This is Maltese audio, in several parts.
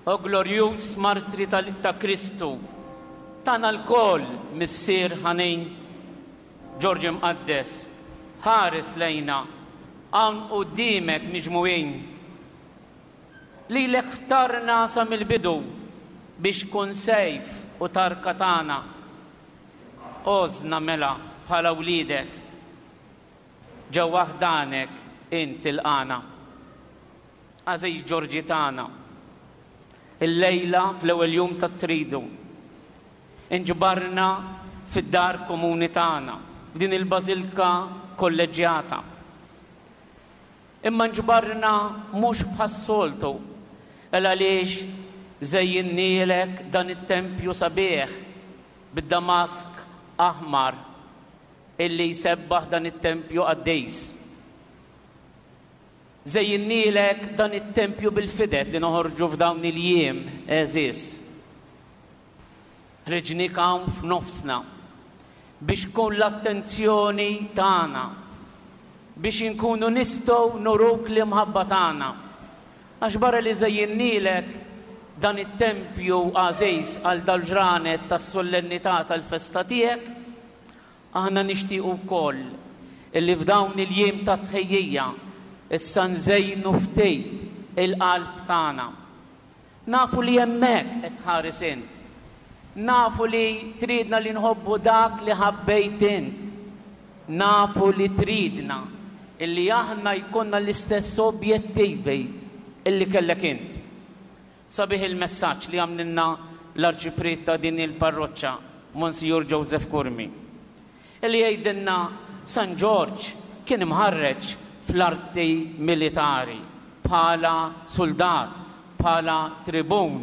O glorjuż martri ta' Kristu, tagħna lkoll, Missier ħanin, Ġorġ Imqaddes, ħares lejna, hawn quddiemek miġmugħin. Lilek ħtarna sa mill-bidu biex tkun sejf u tarka tagħna. Għożżna mela bħala wliedek. Ġewwa ħdanek int tilqagħna. Għażiż Ġorġi tagħna, illejla fl-ewwel jum tat-Tridu, inġbarna fid-dar komuni tagħna, f'din il-Bażilka Kolleġġjata. Imma nġbarna mhux bħas-soltu, el għaliex żejjinnielek dan it-tempju sabiħ bid-damask aħmar illi jsebbaħ dan it-tempju qaddis. Żejjinnielek dan it-tempju bil-fidet li noħorġu f'dawn il-jiem għeżież. Ħriġniek hawn f'nofsna biex tkun l-attenzjoni tagħna, biex inkunu nistgħu nuruk l-imħabba tagħna. Għax barra li żejjinnielek dan it-tempju għażiż għal dal-ġranet tas-sollennità tal-festa tiegħek, Aħna nixtiequ wkoll illi f'dawn il-jiem ta' tħejjija issa nżejnu ftit il-qalb tagħna. Nafu li hemmhekk qed tħares int. Nafu li tridna li nħobbu dak li ħabbejt int. Nafu li tridna illi aħna jkollna l-istess objettivi illi kellek int. Sabiħ il-messaġġ li għamlilna l-Arċipriet ta' din il-parroċċa, Monsijur Joseph Curmi, li jgħidilna San Ġorġ kien imħarreġ fl-arti militari bħala suldat, bħala tribun.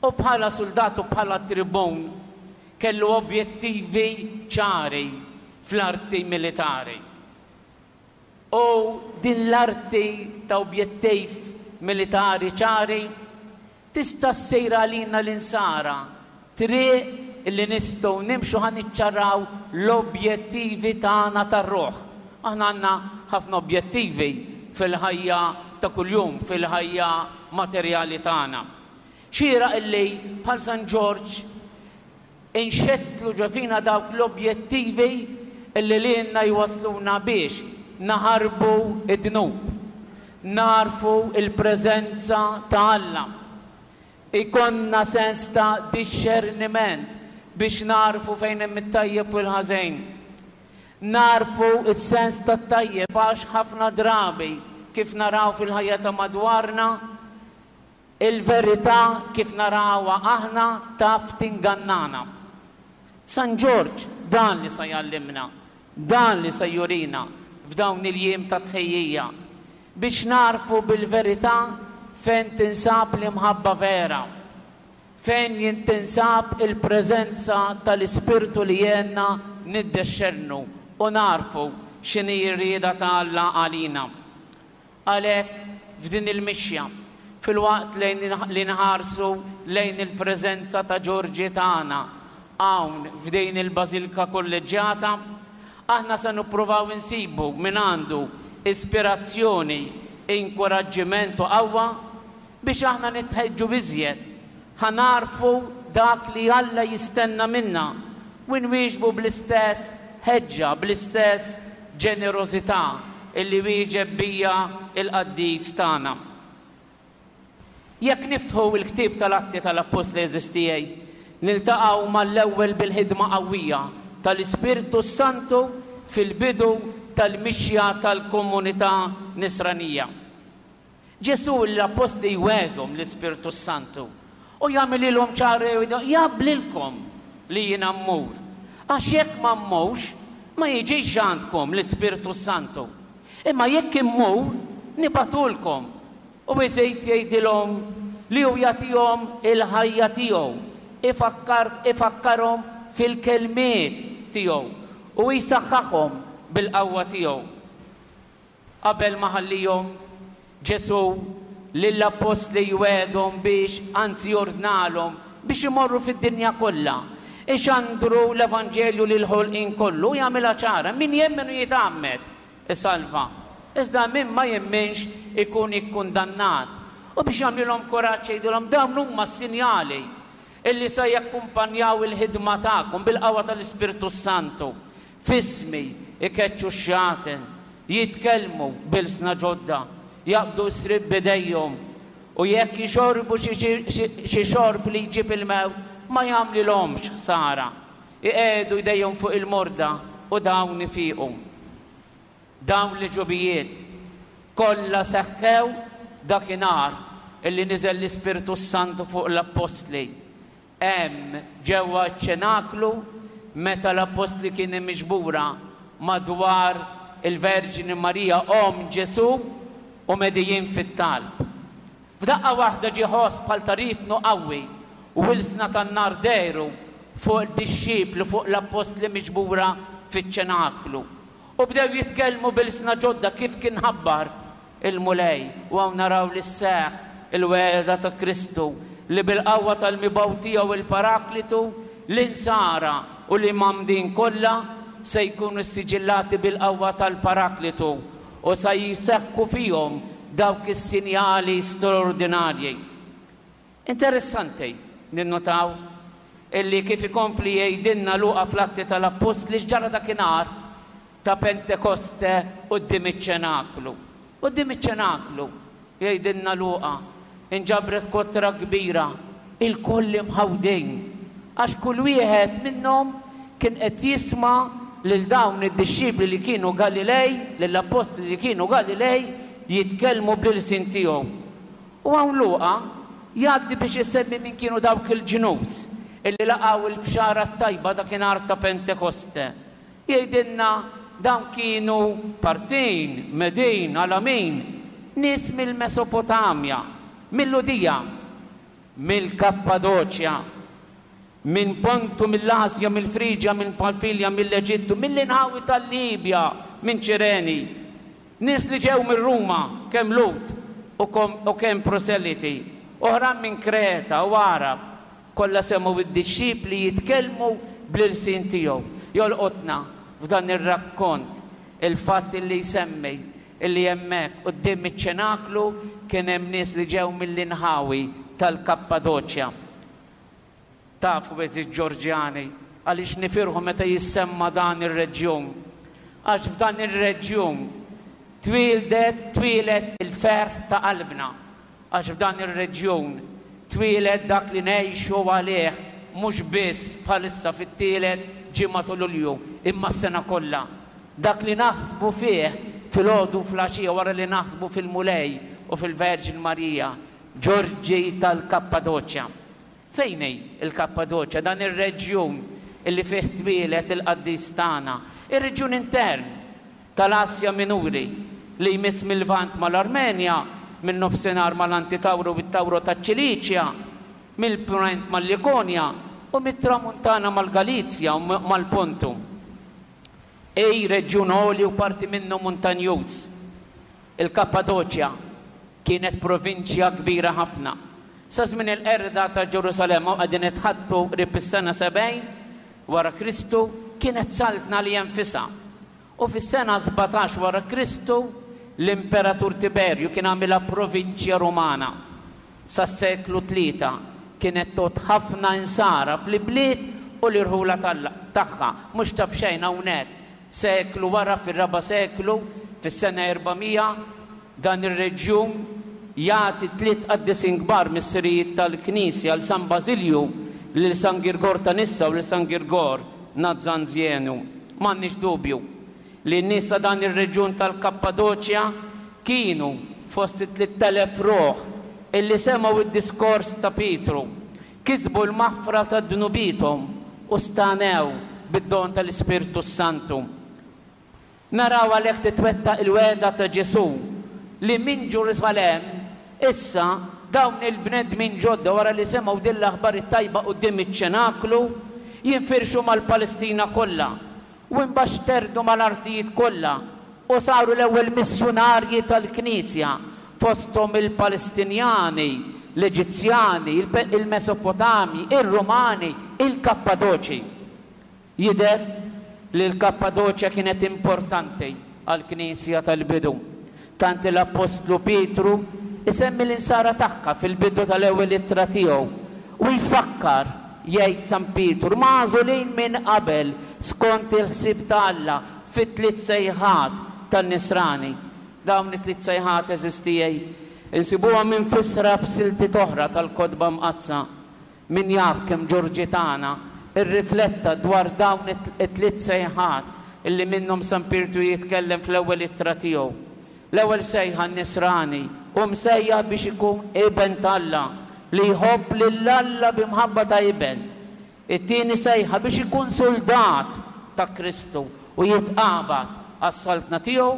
U bħala suldat u bħala tribun kellu objettivi ċari fl-arti militari. U din l-arti ta' objettiv militari ċari tista' ssir għalina l-Insara triq li nistgħu nimxu ħa niċċaraw l-objettivi tagħna tar-ruħ. Aħna għandna ħafna objettivi fil-ħajja ta' kuljum, fil-ħajja materjali tagħna. Xieraq illi bħal San Ġorġ Inxettlu ġo fina dawk l-objettivi li lilna jwassluna biex naħarbu d-dnub, nagħrfu l-preżenza ta' Alla, ikollna sens ta' dixxerniment biex nagħrfu fejn hemm it-tajjeb u l-ħażin. Nagħrfu s-sens tat-tajjeb għax ħafna drabi, kif naraw fil-ħajja ta' madwarna, Il-verità kif narawha aħna taf tingannana. San Ġorġ dan li sa jgħallimna, dan li se jurina f'dawn il-jiem ta' tħejjija, biex nagħrfu bil-verità fejn tinsab l-imħabba vera, fejn tinsab il-preżenza tal-Ispirtu li jgħinna niddexxernu u nagħrfu x'inhi r-rieda ta' Alla għalina. Għalhekk, f'din il-mixja, filwaqt li nħarsu lejn il-preżenza ta' Ġorġi tagħna hawn f'din il-Bażilka Kolleġġjata, aħna se nippruvaw insibu mingħandu ispirazzjoni, inkuraġġiment u qawwa biex aħna nitħeġġu iżjed ħa nagħrfu dak li Alla jistenna minna u nwieġbu bl-istess ħeġġa, bl-istess ġenerożità illi wieġeb bija l-qaddis tagħna. Jekk niftħu l-ktieb tal-Atti tal-Appostli għeżież tiegħi, niltaqgħu mal-ewwel bil-ħidma qawwija tal-Ispirtu s-Santu fil-bidu tal-mixja tal-komunità Nisranija. Ġesù lill-appostli jwegħedhom l-Ispirtu s-Santu u jagħmililhom ċar jaqblilkom li jiena mmur, għax jekk ma mmurx ma jiġix għandkom l-Ispirtu s-Santu. Imma jekk immur, nibagħtulkom. U iżid jgħidilhom li hu jagħtihom il-ħajja tiegħu, ifakkar ifakkarhom fil-kelmiet tiegħu u jsaħħaħhom bil-qawwa tiegħu. Qabel ma ħallihom, Ġesù lill-appostli jwegħedhom biex, anzi jordnalhom, biex imorru fid-dinja kollha, ixandru l-evanġelju lill-ħolqien kollu, u jagħmilha ċara, min jemmen u jitgħammed, isalva, iżda min ma jemminx ikun ikkundannat. U biex jagħmlilhom kuraġġ jgħidilhom dawn huma s-sinjali illi se jakkumpanjaw il-ħidma tagħkom bil-qawwa tal-Ispirtu s-Santu. F'ismi jkeċċu x-xjaten, jitkellmu b'ilsna ġodda, jaqbdu s-sriep b'idejhom, u jekk jixorbu xi xorb li jġib il-mewt ma jagħmlilhomx ħsara. Iqiegħdu jdejhom fuq il-morda u dawn ifiqu. Dawn l-għeġubijiet kollha seħħew dakinhar illi niżel l-Ispirtu s-Santu fuq l-appostli. Hemm, ġewwa ċ-ċenaklu, meta l-appostli kienu miġbura madwar il-Verġni Marija omm Ġesù u medijin fit-talb. F'daqqa waħda ġie ħoss bħal ta' riefnu qawwi u ilsna tan-nar dehru fuq id-dixxipli, fuq l-appostli miġbura fiċ-ċenaklu. U bdew jitkellmu b'ilsna ġodda kif kien ħabbar il-Mulej. U hawn naraw li sseħħ il-wegħda ta' Kristu li bil-qawwa tal-Mibgħut tiegħu il-Paraklitu, l-insara u l-imgħammdin kollha se jkunu ssiġillati bil-qawwa tal-Paraklitu u sa jseħħu fihom dawk is-sinjali straordinarji. Interessanti ninnotaw illi kif ikompli jgħidilna Luqa fl-Atti tal-Appostli x'ġara dakinhar ta' Pentekoste quddiem iċ-ċenaklu. Quddiem iċ-ċenaklu, jgħidilna Luqa, inġabret kotra kbira, ilkoll imħawdin, għax kull wieħed minnhom kien qed jisma' lil dawn id-dixxipli li kienu Galilej, lill-appostli li kienu Galilej, jitkellmu bl-ilsien tiegħu. U hawn Luqa jgħaddi biex isemmi min kienu dawk il-ġnus illi laqgħu l-bxara t-tajba dakinhar ta' Pentekoste. Jgħidilna dawn kienu Partin, Medin, Alamin, nies mill-Mesopotamja, mil-Lhudija, mill-Kappadoċja, minn Pontu, mill-Asja, mill-Friġja, minn Pamfilja, mill-Eġittu, mill-inħawi tal-Libja, minn Ċireni. Nies li ġew minn Ruma, kemm Lhud u kemm proseliti, oħrajn minn Kreta u Għarab, kollha semgħu d-dixxipli jitkellmu bl-ilsien tiegħu. Jolqotna f'dan ir-rakkont il-fatt li jsemmi illi hemmhekk quddiem iċ-ċenaklu kien hemm nies li ġew mill-inħawi tal-Kappadoċja. Tafu għeżież Ġorġjani għaliex nifirħu meta jissemma dan ir-reġjun? Għax f'dan ir-reġjun twieldet, twieled il-ferħ ta' qalbna. Għax f'dan ir-reġjun twieled dak li ngħixu għalih mhux biss bħalissa fit-tielet ġimgħa ta' Lulju, imma s-sena kollha. Dak li naħsbu fih filgħodu u fl-għaxija wara li naħsbu fil-Mulej u fil-Verġni Marija, Ġorġi tal-Kappadoċja. Fejn hi l-Kappadoċja, dan ir-reġjun li fih twieled il-qaddis tagħna? Ir-reġjun intern tal-Asja Minuri, li jmiss mil-Lvant mal-Armenja, min-Nofsinhar mal-Antitawru u t-Tawro taċ-Ċiliċja, mill-Punent mal-Likonja, u mit-Tramuntana mal-Galizja u mal-Pontu. Hi reġjun għoli u parti minnu muntanjuż. Il-Kappadoċja kienet provinċja kbira ħafna. Sa żmien il-qerda ta' Ġerusalemm, hawn qegħdin nitħaddtu qrib is-sena 70 wara Kristu, kienet saltna għaliha nfisha. U fis-sena 17 wara Kristu, l-Imperatur Tiberju kien għamilha provinċja Rumana. Sas-seklu tlieta kienet tgħodd ħafna Insara fl-ibliet u l-irħula tagħha. Mhux ta' b'xejn hawnhekk, seklu wara fir-raba' seklu, fis-sena 400, dan ir-reġjun jagħti tliet qaddisin kbar missirijiet tal-Knisja, 'l San Bażilju, lil San Girgor ta' Nissa u lil San Girgor Nazzanzjenu. M'għandniex dubju li n-nies ta' dan ir-reġjun tal-Kappadoċja kienu fost it-3,000 ruħ illi semgħu d-diskors ta' Pietru, kisbu l-maħfra ta' dnubiethom u stagħnew bid-don tal-Ispirtu s-Santu. Naraw għalhekk titwettaq il-wegħda ta' Ġesù li minn Ġerusalemm issa dawn il-bnedmin ġodda wara li semgħu din l-aħbar it-tajba quddiem iċ-ċenaklu jinfirxu mal-Palestina kollha u imbagħad xterdu mal-artijiet kollha u saru l-ewwel missjunarji tal-Knisja fosthom il-Palestinjani, l-Eġizzjani, il-Mesopotamji, ir-Rumani, il-Kappadoċi. Jidher li l-Kappadoċja kienet importanti għall-Knisja tal-bidu, tant li l-appostlu Pietru Isemmi l-insara tagħha fil-bidu tal-ewwel ittra tiegħu u jfakkar, jgħid San Pietru, magħżulin minn qabel skont il-ħsieb ta' Alla fit-tliet sejħat tan-Nisrani. Dawn it-tliet sejħat, għeżież tiegħi, insibuhom imfissra f'siltiet oħra tal-Kotba Mqaddsa. Min jaf kemm Ġorġi tagħna rrifletta dwar dawn it-tliet sejħat illi minnhom San Pietru jitkellem fl-ewwel ittra tiegħu. L-ewwel sejħa n-Nisrani hu msejjaħ biex ikun iben t'Alla, li jħobb lil Alla bi mħabba ta' iben. It-tieni sejħa biex ikun suldat ta' Kristu u jitqabad għas-Saltna tiegħu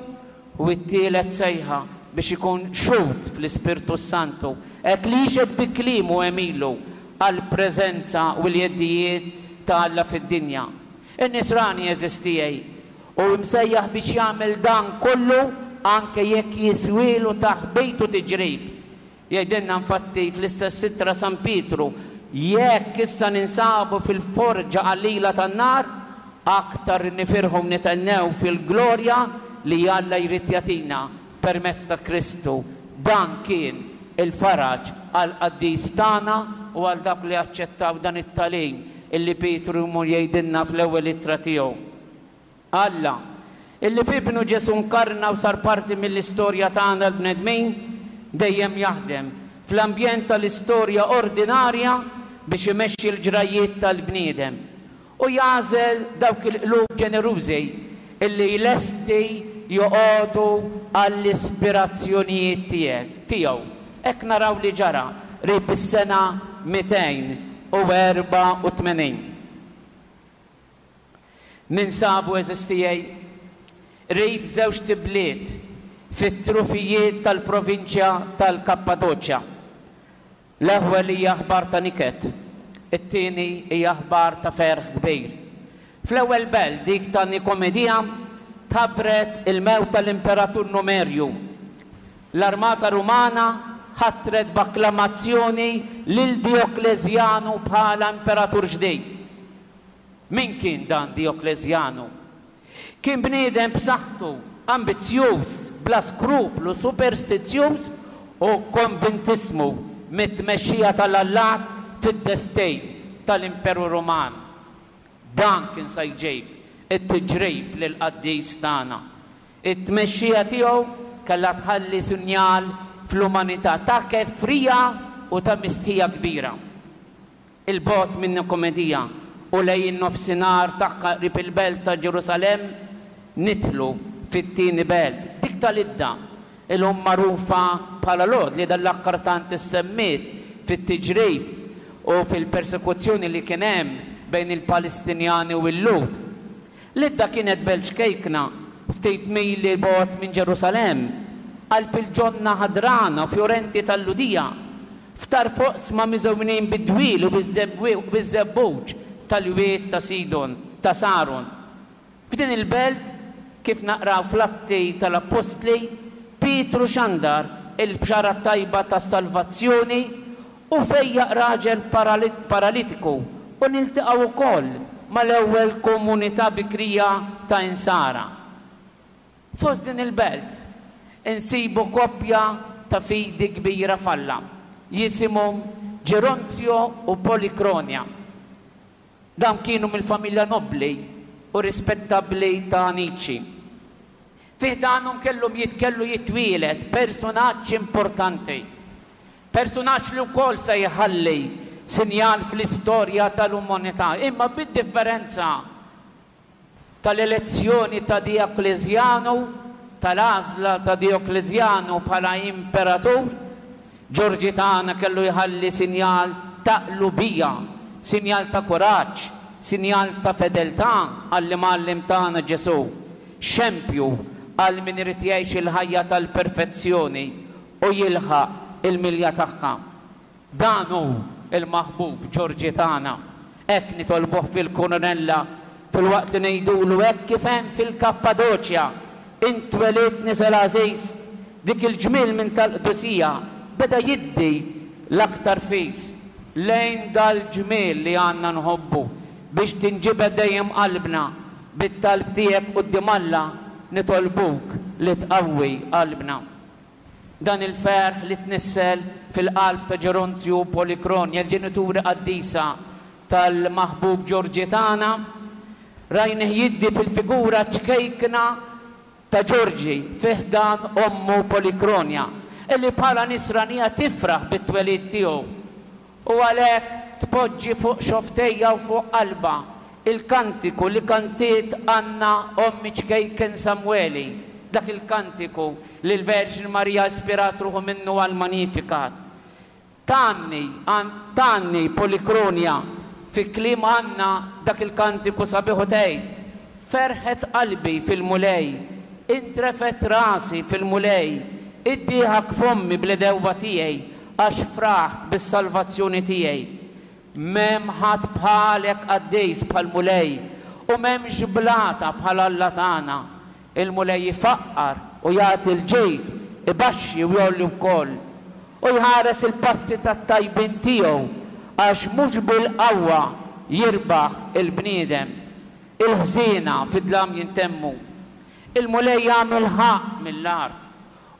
u t-tielet sejħa biex ikun xhud fl-Ispirtu s-Santu, hekk li jixhed bi kliemu u għemilu għall-preżenza u l-jeddijiet ta' Alla fid-dinja. In-Nisrani, għeżież tiegħi, hu msejjaħ biex jagħmel dan kollu anke jekk jiswielu taħbit u tiġrib. Jgħidilna infatti fl-istess ittra San Pietru, Jekk issa ninsabu fil-forġa qalila tan-nar, aktar nifirħu u nithennew fil-glorja li Alla jrid jagħtina permezz ta' Kristu. Dan kien il-faraġ għall-qaddis tagħna u għal dawk li aċċettaw dan it-tagħlim illi Pietru jmur jgħidilna fl-ewwel ittra tiegħu. Alla, illi f'Ibnu Ġesù nkarna u sar parti mill-istorja tagħna l-bnedmin, dejjem jaħdem fl-ambjent tal-istorja ordinarja biex imexxi l-ġrajjiet tal-bniedem u jagħżel dawk il-qlub ġenerużi illi lesti joqogħdu għall-ispirazzjonijiet tiegħu. Hekk naraw li ġara qrib is-sena 284. Ninsabu, għeżież tiegħi, qrib żewġt ibliet fit-trufijiet tal-provinċja tal-Kappadoċja. L-ewwel hija aħbar ta' niket, it-tieni hija aħbar ta' ferħ kbir. Fl-ewwel belt, dik ta' Nikomedija, tħabbret il-mewt tal-Imperatur Numerju. L-armata Rumana ħatret b'akklamazzjoni lil Diokleżjanu bħala imperatur ġdid. Min kien dan Diokleżjanu? Kien bniedem b'saħħtu, ambizzjuż, bla skruplu, superstizzjuż u konvintissmu mit-tmexxija tal-allat fid-destin tal-Imperu Ruman. Dan kien sa jġib it-tiġrib lill-qaddis tagħna. It-tmexxija tiegħu kellha tħalli sinjal fl-umanità ta' kefrija u ta' mistħija kbira. 'il bogħod minn Nikomedija u lejn in-nofsinhar tagħha qrib il-belt ta' Ġerusalemm, nidħlu fit-tieni belt, dik ta' Lidda, illum magħrufa bħala Lod, li dan l-aħħar tant issemmiet fit-tiġrib u fil-persekuzzjoni li kien hemm bejn il-Palestinjani u l-Lhud. Lidda kienet belt ċkejkna, ftit mili bogħod minn Ġerusalemm, qalb il-ġonna ħadrana u fjorenti tal-Lhudija, f'tarf oqsma miżewnin bid-dwieli u biż-żebbuġ tal-wied ta' Sidon, ta' Saron. F'din il-belt, kif naqraw fl-Atti tal-Appostli, Pietru xandar il-bxara t-tajba tas-salvazzjoni u fejjaq raġel paralitiku u niltaqgħu wkoll mal-ewwel komunità bikrija ta' Insara. Fost din il-belt insibu koppja ta' fidi kbira f'Alla, jisimhom Ġeronzjo u Polikronja. Dawn kienu mill-familja nobbli u rispettabbli ta' Anici. Fi ħdanhom kellhom kellu jitwieled persunaġġ importanti. Persunaġġ li wkoll se jħalli sinjal fl-istorja tal-umanità, imma bid-differenza tal-elezzjoni ta' Diokleżjanu, tal-għażla ta' Diokleżjanu bħala imperatur, Ġorġi tagħna kellu jħalli sinjal ta' qlubija, sinjal ta' kuraġġ, sinjal ta' fedeltà għall-Imgħallem tagħna Ġesù, xempju għal min irid jgħix il-ħajja tal-perfezzjoni u jilħaq il-milja tagħha. Dan hu l-maħbub Ġorġi tagħna. Hekk nitolbuh fil-Kurunella filwaqt li ngħidulu hekk kif hemm fil-Kappadoċja, Int twelidt nisel għażiż, dik il-ġmiel minn tal-qdusija beda jiddi l-aktar fis lejn dal-ġmiel li għandna nħobbu biex tinġibed dejjem qalbna bit-talb tiegħek quddiem Alla nitolbuk li tqawwi qalbna. Dan il-ferħ li tnissel fil-qalb ta' Ġeronzju u Polikronja, il-ġenituri qaddisa tal-maħbub Ġorġi tagħna, rajnih jiddi fil-figura ċkejkna ta' Ġorġi fi ħdan ommu Polikronja, illi bħala Nisranija tifraħ bit-twelid tiegħu u għalhekk tpoġġi fuq xofftejha u fuq qalbha il-kantiku li kantiet Anna omm iċ-ċkejken Samweli, dak il-kantiku li l-Verġni Marija ispirat ruħu minnu għall-Magnificat. Tgħanni, tgħanni Polikronja fi kliem Anna dak il-kantiku sabiħ u tgħid, Ferħet qalbi fil-Mulej, intrefgħet rasi fil-Mulej, iddieħak fommi bl-għedewwa tiegħi, għax fraħt bis-salvazzjoni tiegħi. M'hemm ħadd bħalek qaddis bħall-Mulej, u m'hemmx blata bħal Alla tagħna. Il-Mulej ifaqqar u jagħti l-ġid, ibaxxi u jgħolli wkoll. U jħares il-passi tat-tajbin tiegħu, għax mhux bil-qawwa jirbaħ il-bniedem. Il-ħżiena fid-dlam jintemmu. Il-Mulej jagħmel ħaqq mill-art,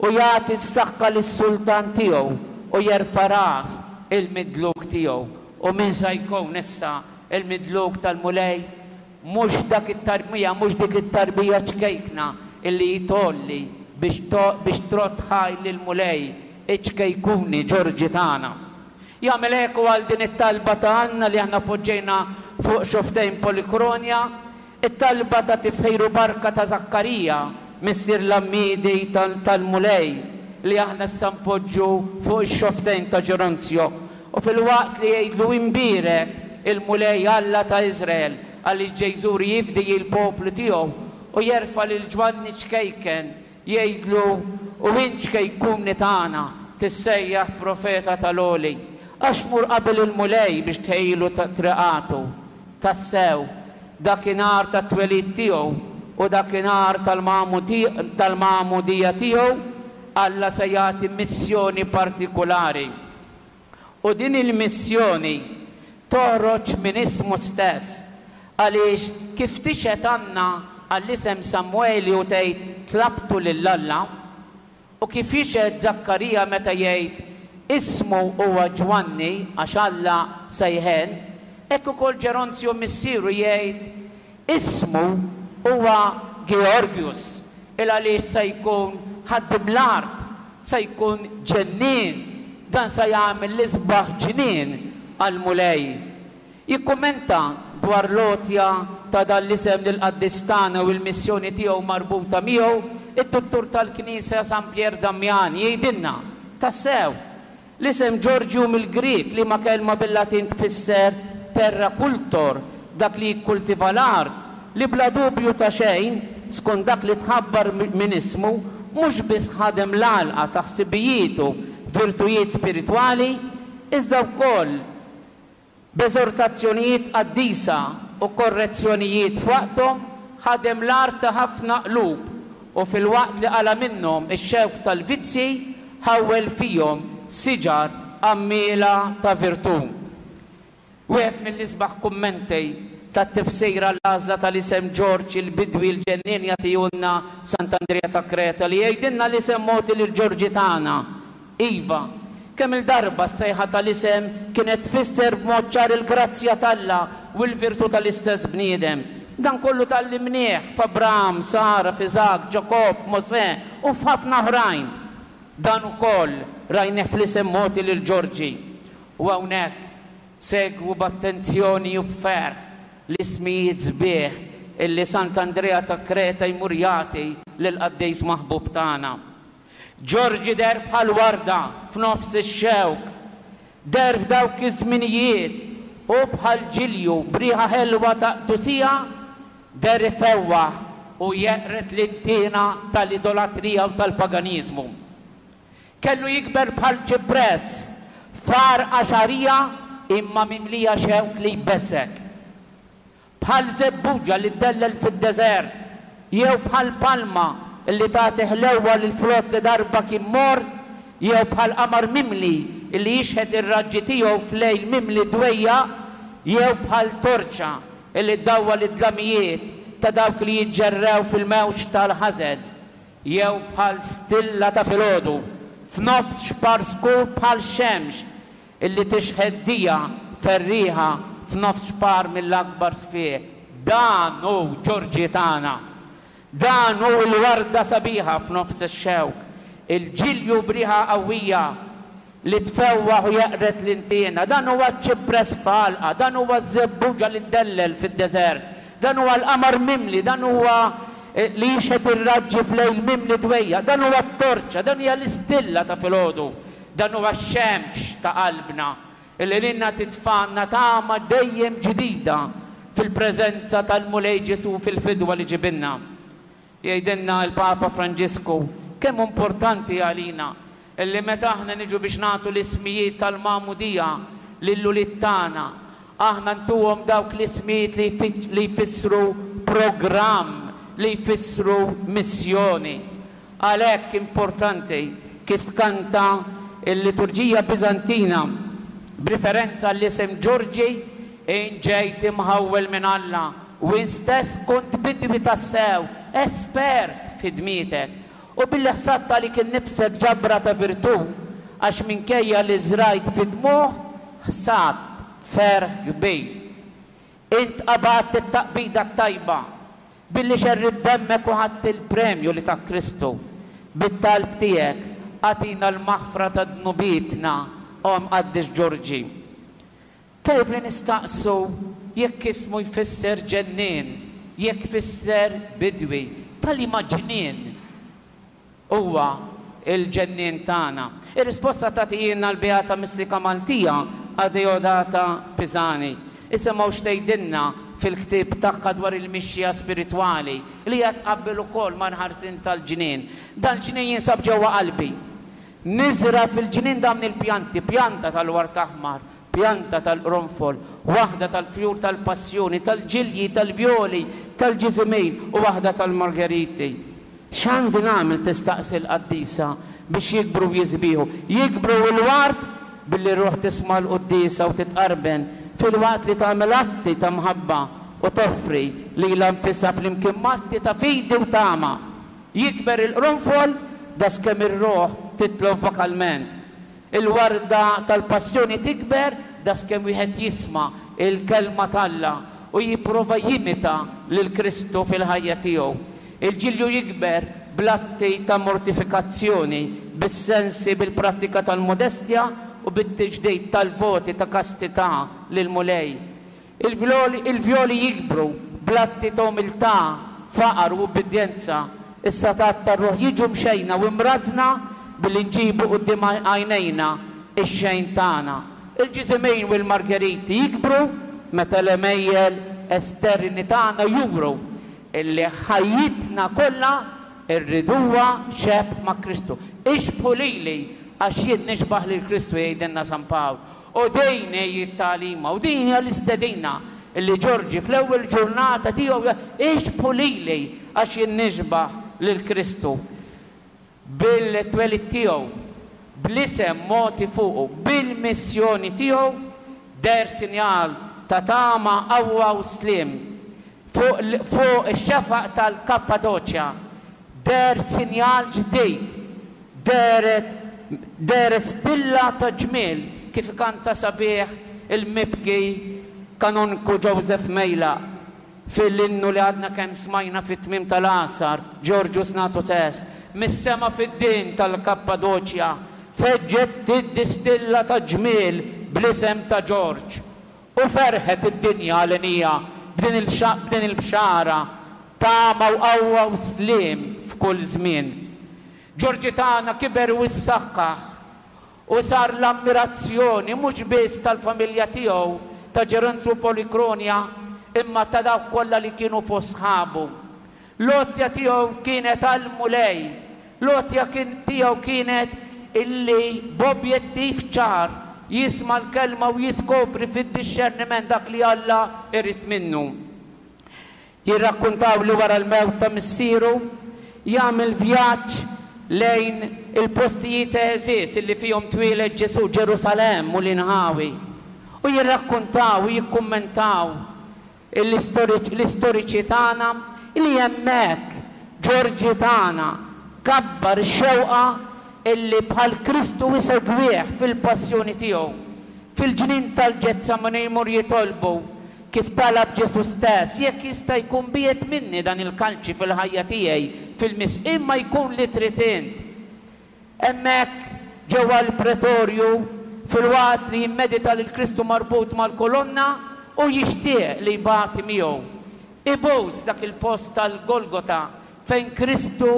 u jagħti s-saħħa lis-sultan tiegħu u jerfa' ras il-midluk tiegħu. U min sa jkun issa l-midluk tal-Mulej? Mhux dak it-tarbija, mhux dik it-tarbija ċkejkna illi hi tgħolli biex biex trodd ħajr lill-Mulej, iċ-ċkejkuni Ġorġi tagħna. Jagħmel eku għal din it-talba ta' Anna li aħna poġġejna fuq xofftejn Polikronja, It-talba ta' tifħir u barka ta' Żakkarija, missier l-għammiedi tal-Mulej, li aħna issa npoġġu fuq ix-xofftejn ta' Ġeronzjo, u filwaqt li jgħidlu Imbierek il-Mulej Alla ta' Iżrael, għaliex ġej jżur jifdi il-poplu tiegħu, u jerfa' lil Ġwanni ċkejken, Jgħidlu, U int xkejkuni tagħna, tissejjaħ profeta tal-Għoli, għax tmur qabel il-Mulej biex tħejjilu triqatu. Tassew, dakinhar tat-twelid tiegħu u dakinhar tal-magħmudija tiegħu, Alla se jagħti missjoni partikulari. U din il-missjoni toħroġ minn ismu stess, għaliex kif tixhed Anna għall-isem Samweli u tgħid tlabtu lil Alla, u kif jixhed Żakkarija meta jgħid ismu huwa Ġwanni għax Alla se jħenn, hekk ukoll Ġeronzju missieru jgħid ismu huwa Georgius, il-għaliex se jkun ħaddiem l-art Se jkun ġennien, dan se jagħmel l-isbaħ ġnien għall-Mulej. Jikkummenta dwar l-għotja ta' dan l-isem lill-qaddis tagħna u l-missjoni tiegħu marbuta miegħu, id-Duttur tal-Knisja San Pier Damian jgħidilna, Tassew, L-isem Ġorġi hu mill-Grieg, liema kelma bil-Latin tfisser terra cultor, dak li jikkultiva l-art, li bla dubju ta' xejn, skont dak li tħabbar minn ismu, mhux biss ħadem l-għalqa ta' ħsibijietu b'virtujiet spiritwali, iżda wkoll B'eżortazzjonijiet qaddisa u korrezzjonijiet f'waqthom, ħadem l-art ta' ħafna qlub u filwaqt li qala' minnhom ix-xewk tal-vizzji, ħawwel fihom siġar għammiela ta' virtù. Wieħed mill-isbaħ kummenti tat-tifsir għall-għażla tal-isem Ġorġ il-Bidwi l-Ġennien jagħtihulna Sant'Andrija ta' Kreta li jgħidilna l-isem mogħti lil Ġorġi tagħna Iva, kemm-il darba s-sejħa tal-isem kienet tfisser b'mod ċar il-grazzja t'Alla u l-virtù tal-istess bniedem. Dan kollu tgħallimnieh f'Abraham, Sara, f'Iżakk, Ġakobb, Mosè, u f'ħafna oħrajn. Dan ukoll rajnieh fl-isem mogħti lil Ġorġi. U hawnhekk, segwu b'attenzjoni u b'ferħ l-ismijiet sbieħ illi Sant'Andrea ta' Kreta jmur jagħti lill-qaddis maħbub tagħna. Ġorġi deher bħal warda f'nofs ix-xewk. Deher f'dawk iż-żminijiet u bħal ġilju b'riħa ħelwa ta' qdusija deher ifewwaħ u jeqred l-intiena tal-idolatrija u tal-paganiżmu. Kellu jikber bħal ċipress f'għarqa xagħrija imma mimlija xewk li jbeżżgħek. Bħal żebbuġa li ddellel fid-deżert, jew bħal palma li tagħti ħlewwa lil frott li darba kien morr, jew bħal qamar mimli li jixħet ir-raġġi tiegħu f'lejl mimli dwejjaq, jew bħal torċa li ddawwal id-dlamijiet ta' dawk li jiġġerrew fil-mewġ tal-ħażen, jew bħal stilla ta' filgħodu. f'nofs xpar skur bħal xemx illi tixħet dija ferrieħa f'nofs xpar mill-akbar sfiq. Dan hu Ġorġi tagħna. Dan hu l-warda sabiħa f'nofs ix-xewk, il-ġilju b'riħa qawwija li tfewwaħ u jeqred l-intiena. Dan huwa ċ-ċipress f'għalqa, dan huwa ż-żebbuġa li ddellel fid-deżert, dan huwa l-qamar mimli, dan huwa li jixħet ir-raġġi f'lejl mimli dwejjaq, dan huwa t-torċa, dan hija l-istilla ta' filgħodu, dan huwa x-xemx ta' qalbna li lilna titfagħlna tama dejjem ġdida fil-preżenza tal-Mulej Ġesù fil-fidwa li ġibilna. Jgħidilna l-Papa Franġisku kemm hu importanti għalina li meta aħna niġu biex nagħtu l-ismijiet tal-magħmudija lill-ulied tagħna, aħna ntuhom dawk l-ismijiet li jfissru programm, li jfissru missjoni. Għalhekk importanti kif tkanta l-liturġija Biżantina b'riferenza għall-isem Ġorġi, Int ġejt imħawwel minn Alla u int stess kont bidwi tassew, espert f'ħidmietek, u billi ħsadt għalik innifsek ġabra ta' virtù, għax minkejja li żrajt fid-dmugħ, ħsadt ferħ kbir. Int qabadt it-taqbida t-tajba, billi xerridt demmek u ħadt il-premju li tak Kristu. Bit-talb tiegħek, agħtina l-maħfra ta' dnubietna, O Mqaddes Ġorġi. Tajjeb li nistaqsu jekk ismu jfisser ġennien, jekk jfisser bidwi, ta' liema ġnien huwa l-ġennien tagħna? Ir-risposta tagħtihielna l-Beata Mistika Maltija Adeodata Pisani. Isimgħu x'tgħidilna fil-ktieb tagħha dwar il-mixja spiritwali li hija tqabbel ukoll mal-ħarsien tal-ġnien. Dal-ġnien jinsab ġewwa qalbi. Niżra' fil-ġnien dawn il-pjanti, pjanta tal-ward aħmar, pjanta tal-qronfol, waħda tal-fjur tal-passjoni, tal-ġilji, tal-vjoli, tal-ġiżimin u waħda tal-margeriti. X'għandi nagħmel, tistaqsi l-qaddisa, biex jikbru u jisbieħu? Jikbru l-ward billi r-ruħ tisma' l-quddiesa u titqarben, filwaqt li tagħmel atti ta' mħabba u toffri lilha nfisha flimkien m'atti ta' fidi u tama. Jikber il-qronfol daskemm ir-ruħ titlob vokalment. Il-warda tal-passjoni tikber daskemm wieħed jisma' l-Kelma t'Alla u jipprova jimita lil Kristu fil-ħajja tiegħu. Il-ġilju jikber bl-atti ta' mortifikazzjoni, bis-sensi, bil-prattika tal-modestja u bit-tiġdid tal-voti ta' kastità lill-Mulej. Il-vjoli jikbru bl-atti ta' umiltà, faqar u ubbidjenza. Is-setgħat tar-ruħ jiġu mxejna u mrażżna billi nġibu quddiem għajnejna x-xejn tagħna. Il-ġiżimin u l-margeriti jikbru meta l-għemejjel esterni tagħna juru illi ħajjitna kollha rriduha xebh ma' Kristu. Ixbħu lili għax jien nixbah lil Kristu jgħidilna San Pawl. U din hi t-tagħlima, u din hija l-istedina li Ġorġi fl-ewwel ġurnata tiegħu ixbħu lili għax jien nixbah lil Kristu. Bil-twelid tiegħu, bl-isem mogħti fuqu, bil-missjoni tiegħu, deher sinjal ta' tama, qawwa u sliem. Fuq fuq ix-xefaq tal-Kappadoċja deher sinjal ġdid, dehret dehret stilla ta' ġmiel kif ikanta sabiħ il-mibki Kanonku Joseph Mejlaq fil-innu li għadna kemm smajna fit-tmiem tal-Għasar, Georgius Natus Est, mis-sema fid-din tal-Kappadoċja feġġet tiddi stilla ta' ġmiel bl-isem ta' Ġorġ. U ferħet id-dinja għalenija b'din b'din il-bxara, tama u qawwa u sliem f'kull żmien. Ġorġi tagħna kiber u issaħħaħ u sar l-ammirazzjoni mhux biss tal-familja tiegħu ta' Ġerontru Polikronja imma ta' dawk kollha li kienu fost sħabu. L-għotja tiegħu kienet għall-Mulej. L-għotja tiegħu kienet illi b'objettiv ċar jisma' l-Kelma u jiskopri fid-dixxerniment dak li Alla jrid minnu. Jirrakkuntaw li wara l-mewt ta' missieru, jagħmel vjaġġ lejn il-postijiet għeżież illi fihom twieled Ġesù, Ġerusalemm u l-inħawi. U jirrakkuntaw u jikkummentaw l-istoriċi tagħna li hemmhekk Ġorġi tagħna kabbar ix-xewqa. illi bħal Kristu isegwih fil-passjoni tiegħu. Fil-ġnien tal-Ġetsemani jmur jitolbu, kif talab Ġesù stess, jekk jista' jkun biegħed minni dan il-kalċi fil-ħajja tiegħi, fil-mis imma jkun li trid int. Hemmhekk, ġewwa l-pretorju, filwaqt li jimmedita lil Kristu marbut mal-kolonna, hu jixtieq li jbati miegħu. Ibus dak il-post tal-Golgota fejn Kristu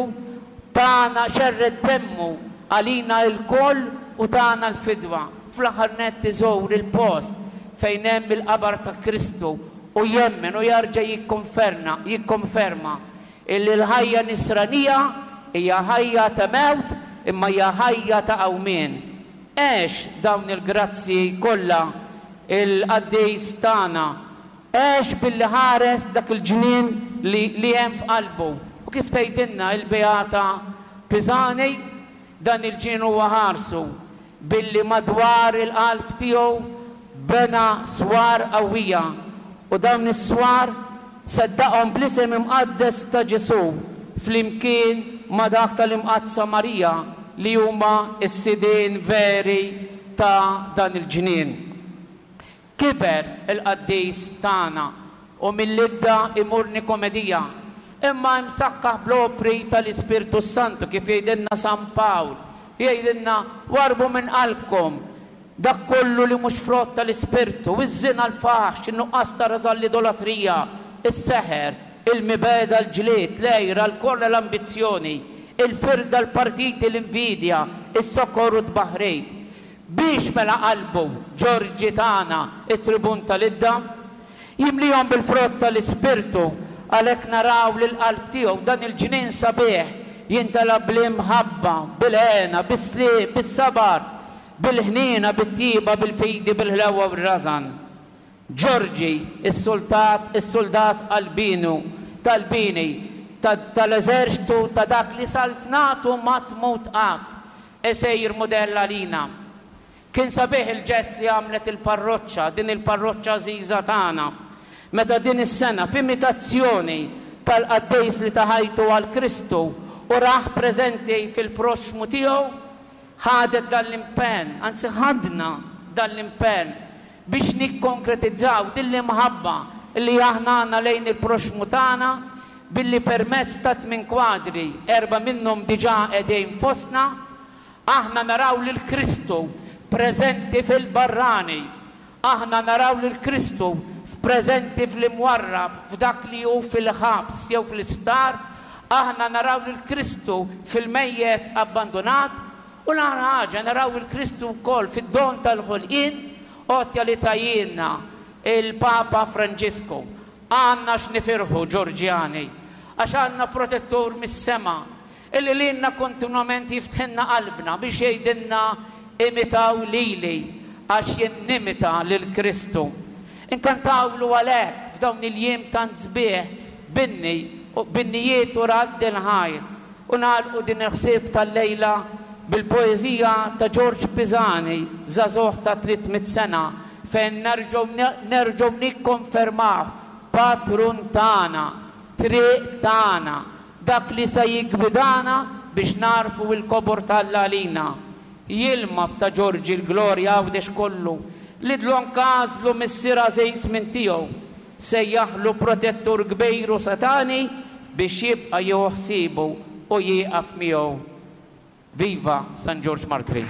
tana xerred demmu għalina ilkoll u tana l-fidwa. Fl-aħħar nett iżur il-post fejn hemm il-qabar ta' Kristu u jemmen u jarġa' jikkonferna jikkonferma Illi l-ħajja nisranija hija ħajja ta' mewt imma hija ħajja ta' qawmien. Għex dawn il-grazzji kollha il-qaddis tagħna. Għex billi ħares dak il-ġnien li li hemm f'qalbu. U kif tgħidilna il-Beata Pisani, dan il-ġnien huwa ħarsu billi madwar il-qalb tiegħu bena swar qawwija, u dawn is-swar seddaqhom bl-isem imqaddes ta' Ġesù flimkien ma' dak tal-Imqaddsa Marija li huma s-sidien veri ta' dan il-ġnien. Kiber il-qaddis tagħna u mill-Idda imur Nikomedija, imma imsaħħaħ bl-opri tal-Ispirtu s-Santu kif jgħidilna San Pawl, jgħidilna warrbu minn qalbkom dak kollu li mhux frott tal-Ispirtu, iż-żina l-faħx, in-nuqqas ta' rażan l-idolatrija, is-seħer, il-mibegħda l-ġlied, l-għira, l-korla l-ambizzjoni, il-firda l-partiti l-invidja, is-sokor u t-tbaħrid. Biex mela qalbu, Ġorġi tagħna, it-tribun tal-idda? Jimlihom bil-frott tal-Ispirtu, għalhekk naraw li l-qalb tiegħu, dan il-ġnien sabiħ, jintela bl-imħabba, bil-hena, bis-sliem, bis-sabar, bil-ħniena, bit-tjieba, bil-fidi, bil-ħlewwa u r-rażan. Ġorġi, is-sultat, is-suldat qalbienu, tal-bini, ta' tal-eżerċtu ta' dak li saltnatu ma tmut qatt, isir mudell għalina. Kien sabiħ il-ġest li għamlet il-parroċċa, din il-parroċċa għażiża tagħna, meta din is-sena, f'imitazzjoni tal-qaddejs li ta ħajtu għal Kristu u rah preżenti fil-proxxmu tiegħu, ħadet dan l-impenn, anzi ħadna dan l-impenn biex nikkonkretizzaw din l-imħabba li aħna għandna lejn il-proxxmu tagħna billi permezz ta' tmien kwadri, erbgħa minnhom diġà qegħdin fostna, aħna naraw lil Kristu preżenti fil-barrani, aħna naraw lil Kristu f'preżenti fl-imwarrab, f'dak li hu fil-ħabs jew fl-isptar, aħna naraw lil Kristu fil-mejjet abbandunat, U l-agħar ħaġa, naraw 'il Kristu wkoll fid-don tal-ħolqien, għotja li tahielna l-Papa Franġisku. Għandna x'nifirħu, Ġorġjani, għax għandna protettur mis-sema illi lilna kontinwament jiftħilna qalbna biex jgħidilna imitaw lili għax jien nimita lil Kristu. Inkantawlu għalhekk f'dawn il-jiem tant sbieħ b'inni, b'innijiet u radd il-ħajr. U nagħlqu din il-ħsieb tal-lejla bil-poeżija ta' Ġorġ Pisani, żagħżugħ ta' 300 sena, fejn nerġgħu nerġgħu nikkonfermawh patrun tagħna, triq tagħna, dak li se jiggwidana biex nagħrfu l-kobor t'Alla għalina. Jilma b'ta' Ġorġi l-glorja Għawdex kollu, li dlonk għażlu missier għażiż minn tiegħu. Sejjaħlu protettur kbir u setgħani biex jibqa' jieħu ħsiebu u jieqaf miegħu. Viva San Ġorġ Martri!